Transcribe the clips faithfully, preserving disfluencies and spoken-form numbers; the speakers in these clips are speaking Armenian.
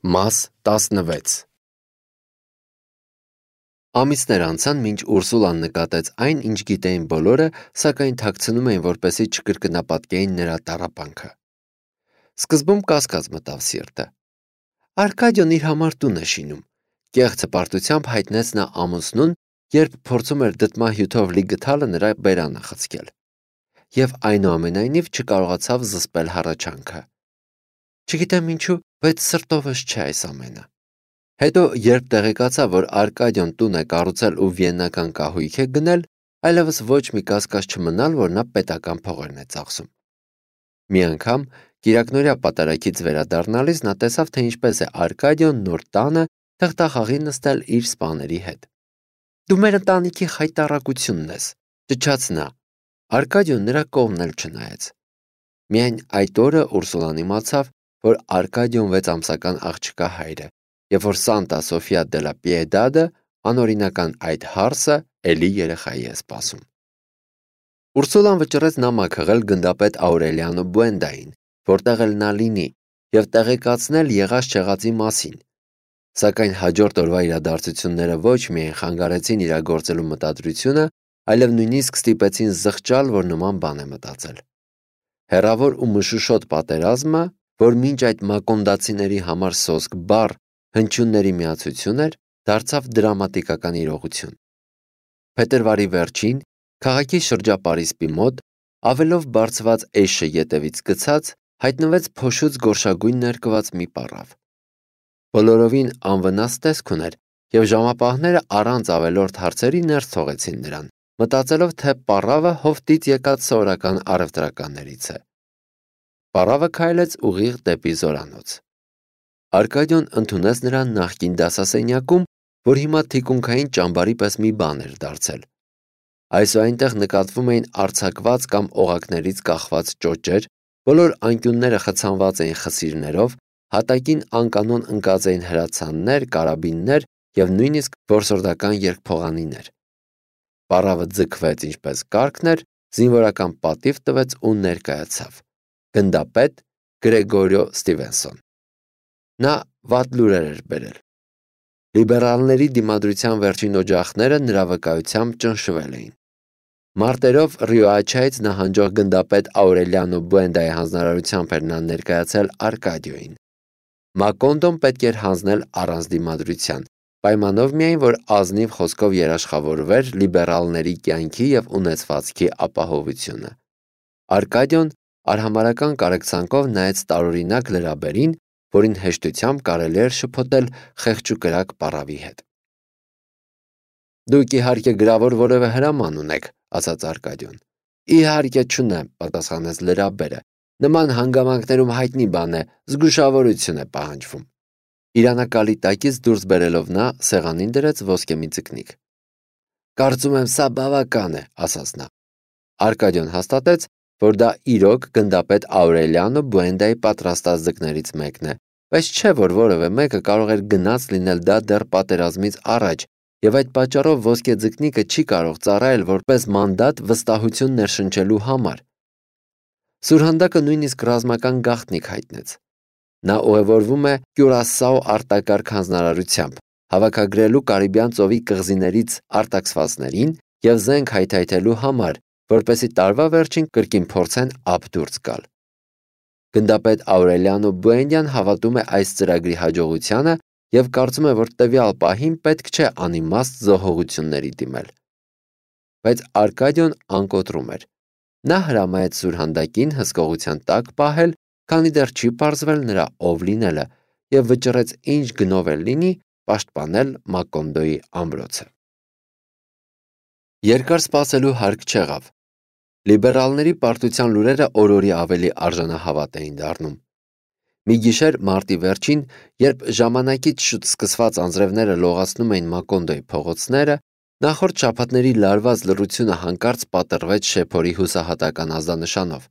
Մաս տասնվեց Ամիսներ անցան, մինչ Ուրսուլան նկատեց այն, ինչ գիտեին բոլորը, սակայն թաքցնում էին, որպեսզի չկրկնապատկեին նրա տառապանքը։ Սկզբում կասկած մտավ սիրտը։ Արկադիոն իր համար տուն է շինում, կեղծ հպարտությամբ հայտնեց նա ամուսնուն, երբ փորձում էր դդմահյութով լի գդալը նրա բերանը խցկել, և այնուամենայնիվ չկարողացավ զսպել հառաչանքը։ Չգիտեմ ինչու, բայց սրտովս չէ այս ամենը։ Հետո, երբ տեղեկացավ, որ Արկադիոն տուն է կառուցել ու վիեննական կահույք է գնել, այլևս ոչ մի կասկած չմնալ, որ նա պետական փողերն է ծախսում։ Մի անգամ, կիրակնօրյա պատարագից վերադառնալիս, նա տեսավ, թե ինչպես է Արկադիոն նոր տանը թղթախաղի նստել իր սպաների հետ։ Դու մեր ընտանիքի խայտառակությունն ես, ճչաց նա։ Արկադիոն նրա կողմն էլ չնայեց։ Միայն այդ օրը Ուրսուլան իմացավ, որ Արկադիոն վեց ամսական աղջկա հայր է, և որ Սանտա Սոֆիա դե լա Պիեդադը, անօրինական այդ հարսը, էլի երեխայի է սպասում։ Ուրսուլան վճռեց նամակ հղել գնդապետ Աուրելիանո Բուենդային, որտեղ էլ նա լինի, և տեղեկացնել եղած-չեղածի մասին։ Սակայն հաջորդ օրվա իրադարձությունները ոչ միայն խանգարեցին իրագործելու մտադրությունը, այլև նույնիսկ ստիպեցին զղջալ, որ նման բան է մտածել։ Հեռավոր ու մշուշոտ պատերազմը, որ մինչ այդ մակոնդացիների համար սոսկ բառ, հնչյունների միացություն էր, դարձավ դրամատիկական իրողություն։ Փետրվարի վերջին, քաղաքի շրջապարիսպի մոտ, ավելով բարձված էշը ետևից գցած, հայտնվեց փոշուց գորշագույն ներկված մի պառավ։ Բոլորովին անվնաս տեսք ուներ, և ժամապահները առանց ավելորդ հարցերի ներս թողեցին նրան, մտածելով, թե պառավը հովտից եկած սովորական առևտրականներից է։ Պառավը քայլեց ուղիղ դեպի զորանոց։ Արկադիոն ընդունեց նրան նախկին դասասենյակում, որ հիմա թիկունքային ճամբարի պես մի բան էր դարձել։ Այսուհայնտեղ նկատվում էին արձակված կամ օղակներից կախված ճոճեր, բոլոր անկյունները խցանված էին խսիրներով, հատակին անկանոն ընկած էին հրացաններ, կարաբիններ և նույնիսկ որսորդական երկփողանիներ։ Պառավը ձգվեց ինչպես կարգն էր, զինվորական պատիվ տվեց ու ներկայացավ։ Գնդապետ Գրեգորիո Ստիվենսոն։ Նա վատ լուրեր էր բերել։ Լիբերալների դիմադրության վերջին օջախները նրա վկայությամբ ճնշվել էին։ Մարտերով Ռիոաչայից նահանջող գնդապետ Աուրելիանո Բուենդայի հանձնարարությամբ էր նա ներկայացել Արկադիոյին։ Մակոնդոն պետք էր հանձնել առանց դիմադրության, պայմանով միայն, որ ազնիվ խոսքով երաշխավորվեր լիբերալների կյանքի և ունեցվածքի ապահովությունը։ Արկադիոն արհամարհական կարեկցանքով նայեց տարօրինակ լրաբերին, որին հեշտությամբ կարելի էր շփոթել խեղճուկրակ պառավի հետ։ Դուք իհարկե գրավոր որևէ հրաման ունեք, ասաց Արկադիոն։ Իհարկե չունեմ, պատասխանեց լրաբերը։ Նման հանգամանքներում հայտնի բան է, զգուշավորություն է պահանջվում։ Իրանակալի տակից դուրս բերելով նա սեղանին դրեց ոսկե մի ձկնիկ։ Կարծում եմ սա բավական է, ասաց նա։ Արկադիոն հաստատեց, որ դա իրոք գնդապետ Աուրելիանո Բուենդայի պատրաստած ձկներից մեկն է, բայց չէ, որ որևէ մեկը կարող էր գնաց լինել դա դեռ պատերազմից առաջ, և այդ պատճառով ոսկե ձկնիկը չի կարող ծառայել որպես մանդատ վստահություն ներշնչելու համար։ Սուրհանդակը նույնիսկ ռազմական գաղտնիք հայտնեց։ Նա ուղևորվում է Կյուրասաո արտակարգ հանձնարարությամբ, հավաքագրելու Կարիբյան ծովի կղզիներից արտաքսվածներին և զենք հայթայթելու համար, որպեսզի տարվա վերջին կրկին փորձեն ափ դուրս գալ։ Գնդապետ Աուրելիանո Բուենդյան հավատում է այս ծրագրի հաջողությանը և կարծում է, որ տվյալ պահին պետք չէ անիմաստ զոհողությունների դիմել։ Բայց Արկադիոն անկոտրում էր։ Նա հրամայեց սուրհանդակին հսկողության տակ պահել, քանի դեռ չի պարզվել նրա ով լինելը, և վճռեց ինչ գնով էլ լինի պաշտպանել Մակոնդոյի ամրոցը։ Երկար սպասելու հարկ չեղավ։ Լիբերալների պարտության լուրերը օր-օրի ավելի արժանահավատ էին դառնում։ Մի գիշեր մարտի վերջին, երբ ժամանակից շուտ սկսված անձրևները լողացնում էին Մակոնդոյի փողոցները, նախորդ շաբաթների լարված լռությունը հանկարծ պատռվեց շեփորի հուսահատական ազդանշանով,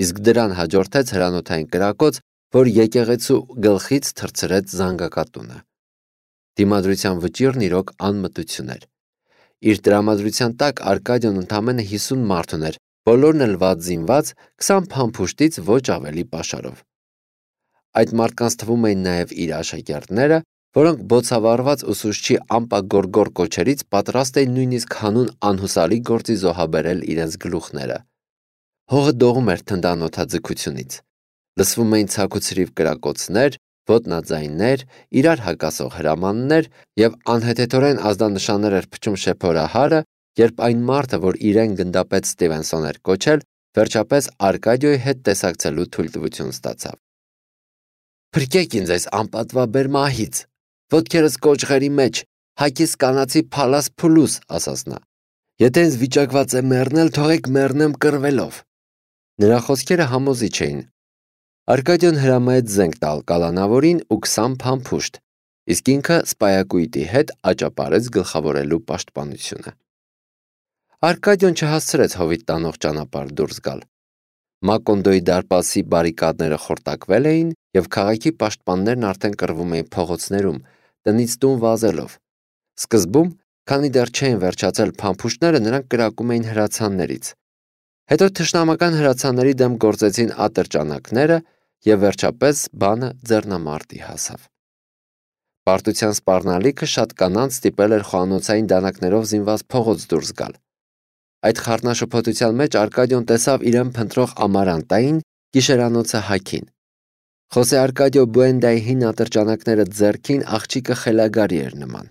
իսկ դրան հաջորդեց հրանոթային կրակոց, որ եկեղեցու գլխից թռցրեց զանգակատունը։ Դիմադրության վճիռն իրոք անմտություն էր։ Իր տրամադրության տակ Արկադիոն ընդամենը հիսուն մարդ ուներ, բոլորն էլ վատ զինված, քսան փամփուշտից ոչ ավելի պաշարով։ Այդ մարդկանց թվում էին նաև իր աշակերտները, որոնք բոցավառված ուսուցչի ամպագորգոր կոչերից պատրաստ էին նույնիսկ հանուն անհուսալի գործի զոհաբերել իրենց գլուխները։ Հողը դողում էր թնդանոթաձգությունից։ Լսվում էին ցաքուցրիվ կրակոցներ, ոտնաձայններ, իրար հակասող հրամաններ և անհեթեթորեն ազդանշաններ էր փչում շեփորահարը, երբ այն մարդը, որ իրեն գնդապետ Ստիվենսոն էր կոչել, վերջապես Արկադիոյի հետ տեսակցելու թույլտվություն ստացավ։ «Փրկեք ինձ այս անպատվաբեր մահից, ոտքերս կոճղերի մեջ, հագիս կանացի փալաս փուլուս», ասաց նա։ «Եթե ինձ վիճակված է մեռնել, թողեք մեռնեմ կռվելով»։ Նրա խոսքերը համոզիչ էին։ Արկադիոն հրամայեց զենք տալ կալանավորին ու քսան փամփուշտ, իսկ ինքը սպայակույտի հետ աճապարեց գլխավորելու պաշտպանությունը։ Արկադիոն չհասցրեց հովիտ տանող ճանապարհ դուրս գալ։ Մակոնդոյի դարպասի բարիկադները խորտակվել էին, և քաղաքի պաշտպաններն արդեն կռվում էին փողոցներում, տնից տուն վազելով։ Սկզբում, քանի դեռ չէին վերջացել փամփուշտները, նրանք կրակում էին հրացաններից։ Հետո թշնամական հրացանների դեմ գործեցին ատրճանակները, և վերջապես բանը ձեռնամարտի հասավ։ Պարտության սպառնալիքը շատ կանանց ստիպել էր խոհանոցային դանակներով զինված փողոց դուրս գալ։ Այդ խառնաշփոթության մեջ Արկադիոն տեսավ իրեն փնտրող Ամարանտային, գիշերանոցը հագին։ Խոսե Արկադիո Բուենդայի հին ատրճանակները ձեռքին աղջիկը խելագարի էր նման։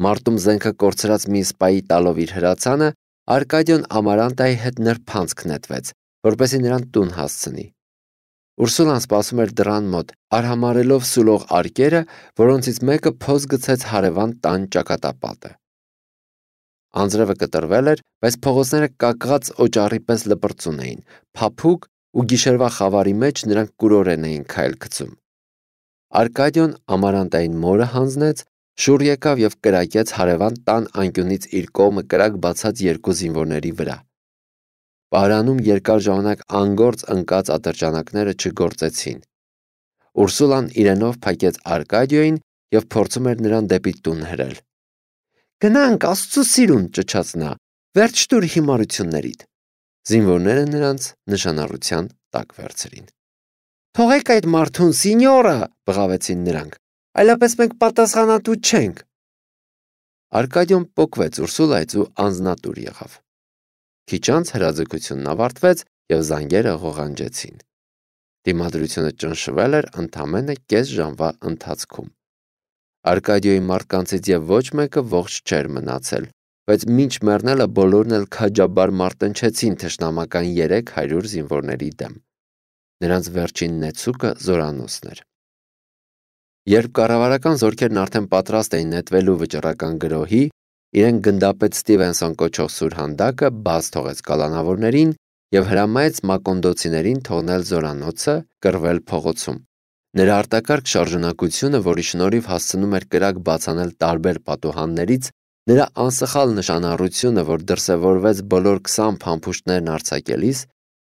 Մարտում զենքը կորցրած մի սպայի տալով իր հրացանը, Արկադիոն Ամարանտայի հետ նրբանցք նետվեց, որպեսզի նրան տուն հասցնի։ Ուրսուլան սպասում էր դռան մոտ, արհամարհելով սուլող արկերը, որոնցից մեկը փոս գցեց հարևան տան ճակատապատը։ Անձրևը կտրվել էր, բայց փողոցները կակղած օճառի պես լպրծուն էին, փափուկ ու գիշերվա խավարի մեջ նրանք կուրորեն էին քայլ գցում։ Արկադիոն Ամարանտային մորը հանձնեց, շուռ եկավ և կրակեց հարևան տան անկյունից իր կողմը կրակ բացած երկու զինվորների վրա։ Պարանում երկար ժամանակ անգործ ընկած ատրճանակները չգործեցին։ Ուրսուլան իրենով փակեց Արկադիոյին և փորձում էր նրան դեպի տուն հրել։ «Գնանք, Աստծո սիրուն», ճչաց նա, «վերջ տուր հիմարություններիդ»։ Զինվորները նրանց նշանառության տակ վերցրին։ «Թողեք այդ մարդուն, սինյորը», բղավեցին նրանք, «այլապես մենք պատասխանատու չենք»։ Արկադիոն պոկվեց Ուրսուլայից ու անձնատուր եղավ։ Քիչ անց հրաձգությունն ավարտվեց և զանգերը ղողանջեցին։ Դիմադրությունը ճնշվել էր ընդամենը կես ժամվա ընթացքում։ Արկադիոյի մարդկանցից և ոչ մեկը ողջ չէր մնացել, բայց մինչ մեռնելը բոլորն էլ քաջաբար մարտնչեցին թշնամական երեք հարյուր զինվորների դեմ։ Նրանց վերջին նեցուկը զորանոցն էր։ Երբ կառավարական զորքերն արդեն պատրաստ էին նետվելու վճռական գրոհի, իրեն գնդապետ Ստիվենսոն կոչող սուրհանդակը բաց թողեց կալանավորներին և հրամայեց մակոնդոցիներին թողնել զորանոցը, կռվել փողոցում։ Նրա արտակարգ շարժունակությունը, որի շնորհիվ հասցնում էր կրակ բացանել տարբեր պատուհաններից, նրա անսխալ նշանառությունը, որ դրսևորվեց բոլոր քսան փամփուշտներն արձակելիս,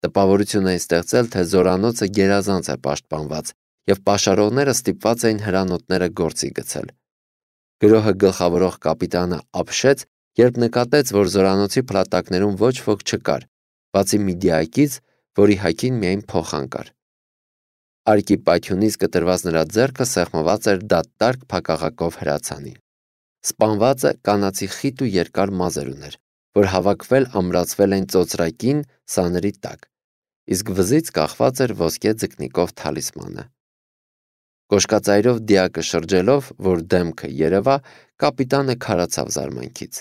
տպավորություն էին ստեղծել, թե զորանոցը գերազանց է պաշտպանված, և պաշարողները ստիպված էին հրանոթները գործի գցել։ Գրոհը գլխավորող կապիտանը ապշեց, երբ նկատեց, որ զորանոցի փլատակներում ոչ ոք չկար, բացի մի դիակից, որի հագին միայն փոխան կար։ Արկի պայթյունից կտրված նրա ձեռքը սեղմված էր դատարկ փակաղակով հրացանին։ Սպանվածը կանացի խիտ ու երկար մազեր ուներ, որ հավաքվել ամրացվել էին ծոծրակին սանրի տակ, իսկ վզից կախված էր ոսկե ձկնիկով թալիսմանը։ Կոշկածայրով դիակը շրջելով, որ դեմքը երևա, կապիտանը քարացավ զարմանքից։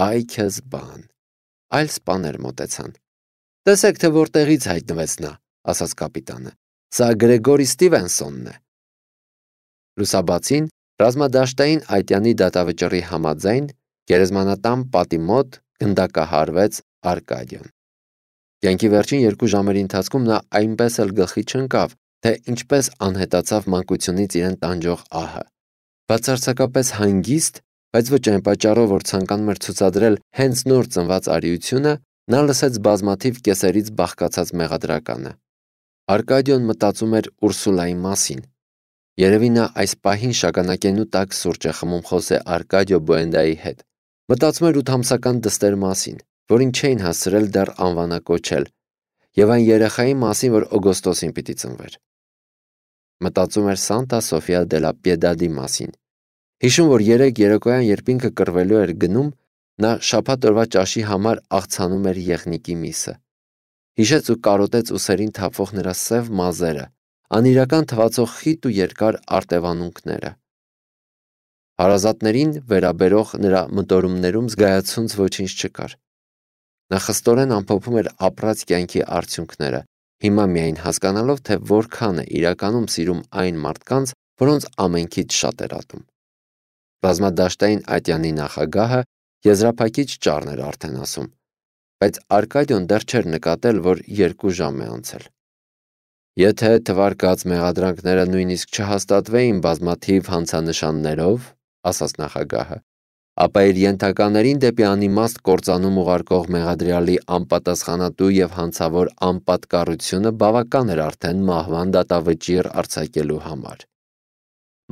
Այ քեզ բան։ Այլ սպաներ մոտեցան։ «Տեսեք, թե որտեղից հայտնվեց նա», ասաց կապիտանը։ «Սա Գրեգորի Ստիվենսոնն է»։ Լուսաբացին ռազմադաշտային այտյանի դատավճռի համաձայն գերեզմանատան պատի մոտ գնդակահարվեց Արկադիոն։ Կյանքի վերջին երկու ժամերի ընթացքում նա այնպես էլ գլխի չընկավ, թե ինչպես անհետացավ մանկությունից իրեն տանջող ահը։ Բացարձակապես հանգիստ, բայց ոչ այն պատճառով, որ ցանկանում էր ցուցադրել հենց նոր ծնված արիությունը, նա լսեց բազմաթիվ կեսերից բաղկացած մեղադրականը։ Արկադիոն մտածում էր Ուրսուլայի մասին։ Երևի նա այս պահին շագանակենու տակ սուրճ է խմում Խոսե Արկադիո Բուենդայի հետ։ Մտածում էր ութամսական դստեր մասին, որին չէին հասցրել դեռ անվանակոչել, և այն երեխայի մասին, որ օգոստոսին պիտի ծնվեր։ Մտածում էր Սանտա Սոֆիա դե լա Պիեդադի մասին։ Հիշում, որ երեք երեկոյան, երբ ինքը կռվելու էր գնում, նա շաբաթ օրվա ճաշի համար աղցանում էր եղնիկի միսը։ Հիշեց ու կարոտեց ուսերին թափվող նրա սև մազերը, անիրական թվացող խիտ ու երկար արտևանունքները։ Հարազատներին վերաբերող նրա մտորումներում զգայացունց ոչինչ չկար։ Նա խստորեն ամփոփում էր ապրած կյանքի արդյունքները, հիմա միայն հասկանալով, թե որքան է իրականում սիրում այն մարդկանց, որոնց ամենքից շատ էր ատում։ Ռազմադաշտային ատյանի նախագահը եզրափակիչ ճառն էր արդեն ասում, բայց Արկադիոն դեռ չէր նկատել, որ երկու ժամ է անցել։ Եթե թվարկած մեղադրանքները նույնիսկ չհաստատվեին բազմաթիվ հանցանշաններով, ասաց նախագահը, ապա իր ենթականերին դեպի անիմաստ կործանում ուղարկող մեղադրյալի անպատասխանատու եւ հանցավոր անպատկառությունը բավական էր արդեն մահվան դատավճիռ արձակելու համար։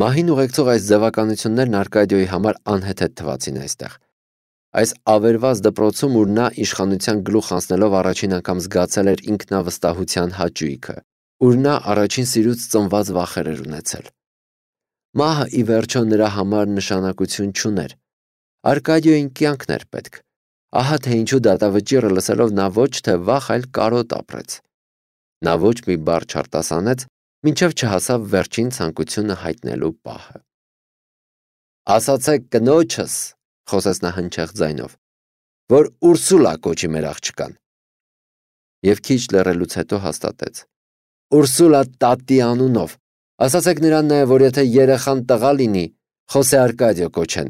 Մահին ուղեկցող այս ձևականություններն Արկադիոյի համար անհեթեթ թվացին այստեղ։ Այս ավերված դպրոցում, ուր նա իշխանության գլուխ անցնելով առաջին անգամ զգացել էր ինքնավստահության հաճույքը, ուր նա առաջին սիրուց ծնված վախեր էր ունեցել։ Մահը ի վերջո նրա համար նշանակություն չուներ։ Արկադիոյին կյանքն էր պետք։ Ահա թե ինչու դատավճիռը լսելով նա ոչ թե վախ, այլ կարոտ ապրեց։ Նա ոչ մի բառ չարտասանեց, մինչև չհասավ վերջին ցանկությունը հայտնելու պահը։ Ասացեք կնոջս, խոսեց նա հնչեղ ձայնով, որ Ուրսուլա կոչի մեր աղջկան։ Եվ քիչ լռելուց հետո հաստատեց. Ուրսուլա տատի անունով։ Ասացեք նրան նաև, որ եթե երեխան տղա լինի, Խոսե Արկադիո կոչեն,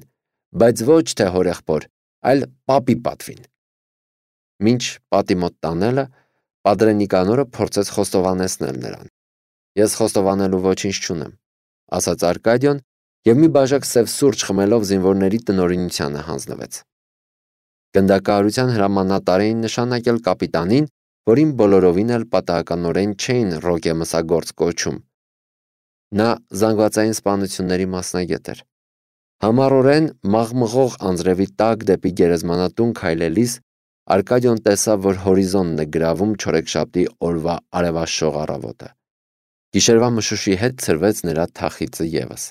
բայց ոչ թե հորեղբոր, այլ պապի պատվին։ Մինչ պատի մոտ տանելը, Պատրե Նիկանորը փորձեց խոստովանեցնել նրան։ Ես խոստովանելու ոչինչ չունեմ, ասաց Արկադիոն եւ մի բաժակ սև սուրճ խմելով զինվորների տնօրինությանը հանձնվեց։ Գնդակահարության հրամանատար էին նշանակել կապիտանին, որին բոլորովին էլ պատահականորեն չէին Ռոկե մսագործ կոչում։ Նա զանգվածային սպանությունների մասնագետ էր։ Համառորեն մաղմղող անձրևի տակ դեպի գերեզմանատուն քայլելիս Արկադիոն տեսավ, որ հորիզոնն է գրավում չորեքշաբթի օրվա արևաշող առավոտը։ Գիշերվա մշուշի հետ ցրվեց նրա թախիծը եւս,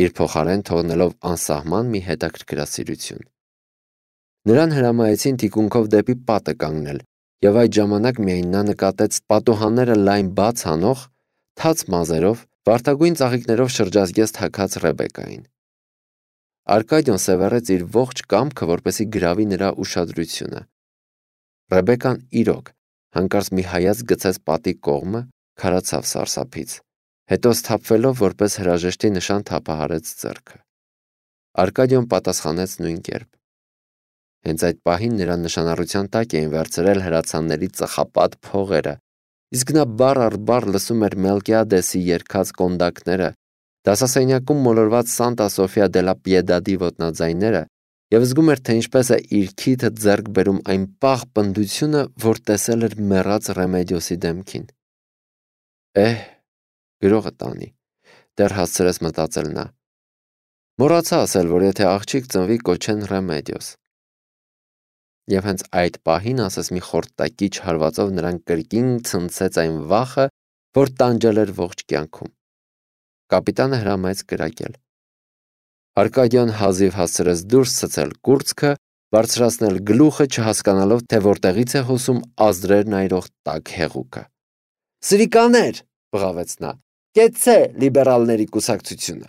իր փոխարեն թողնելով անսահման մի հետաքրքրասիրություն։ Նրան հրամայեցին թիկունքով դեպի պատը կանգնել, եւ այդ ժամանակ միայն նա նկատեց պատուհանները լայն բաց անող, թաց մազերով, վարդագույն ծաղիկներով շրջազգեստ հագած Ռեբեկային։ Արկադիոն սևեռեց իր ողջ կամքը, որպեսի գրավի նրա ուշադրությունը։ Ռեբեկան իրոք հանկարծ մի հայացք գցեց պատի կողմը, քարացավ սարսափից, հետո սթափվելով որպես հրաժեշտի նշան թափահարեց ձեռքը։ Արկադիոն պատասխանեց նույն կերպ։ Հենց այդ պահին նրա նշանառության տակ էին վերցրել հրացանների ծխապատ փողերը, իսկ նա բառ առ բառ լսում էր Մելկիադեսի երգած կոնդակները, դասասենյակում մոլորված Սանտա Սոֆիա դե լա Պիեդադի ոտնաձայները եւ զգում էր, թե ինչպես է իր քիթը ձեռք բերում այն պաղ պնդությունը, որ տեսել էր մեռած Ռեմեդիոսի դեմքին։ Էհ, գրողը տանի, դեռ հասցրեց մտածել նա։ Մոռացա ասել, որ եթե աղջիկ ծնվի կոչեն Ռեմեդիոս։ Եվ հենց այդ պահին ասես մի խորտակիչ հարվածով նրան կրկին ցնցեց այն վախը, որ տանջել էր ողջ կյանքում։ Կապիտանը հրամայեց կրակել։ Արկադիոն հազիվ հասցրեց դուրս ցցել կուրծքը, բարձրացնել գլուխը, չհասկանալով, թե որտեղից է հոսում ազդրեր նայրող տաք հեղուկը։ Սրիկաներ, բղավեց նա, կեցցե լիբերալների կուսակցությունը։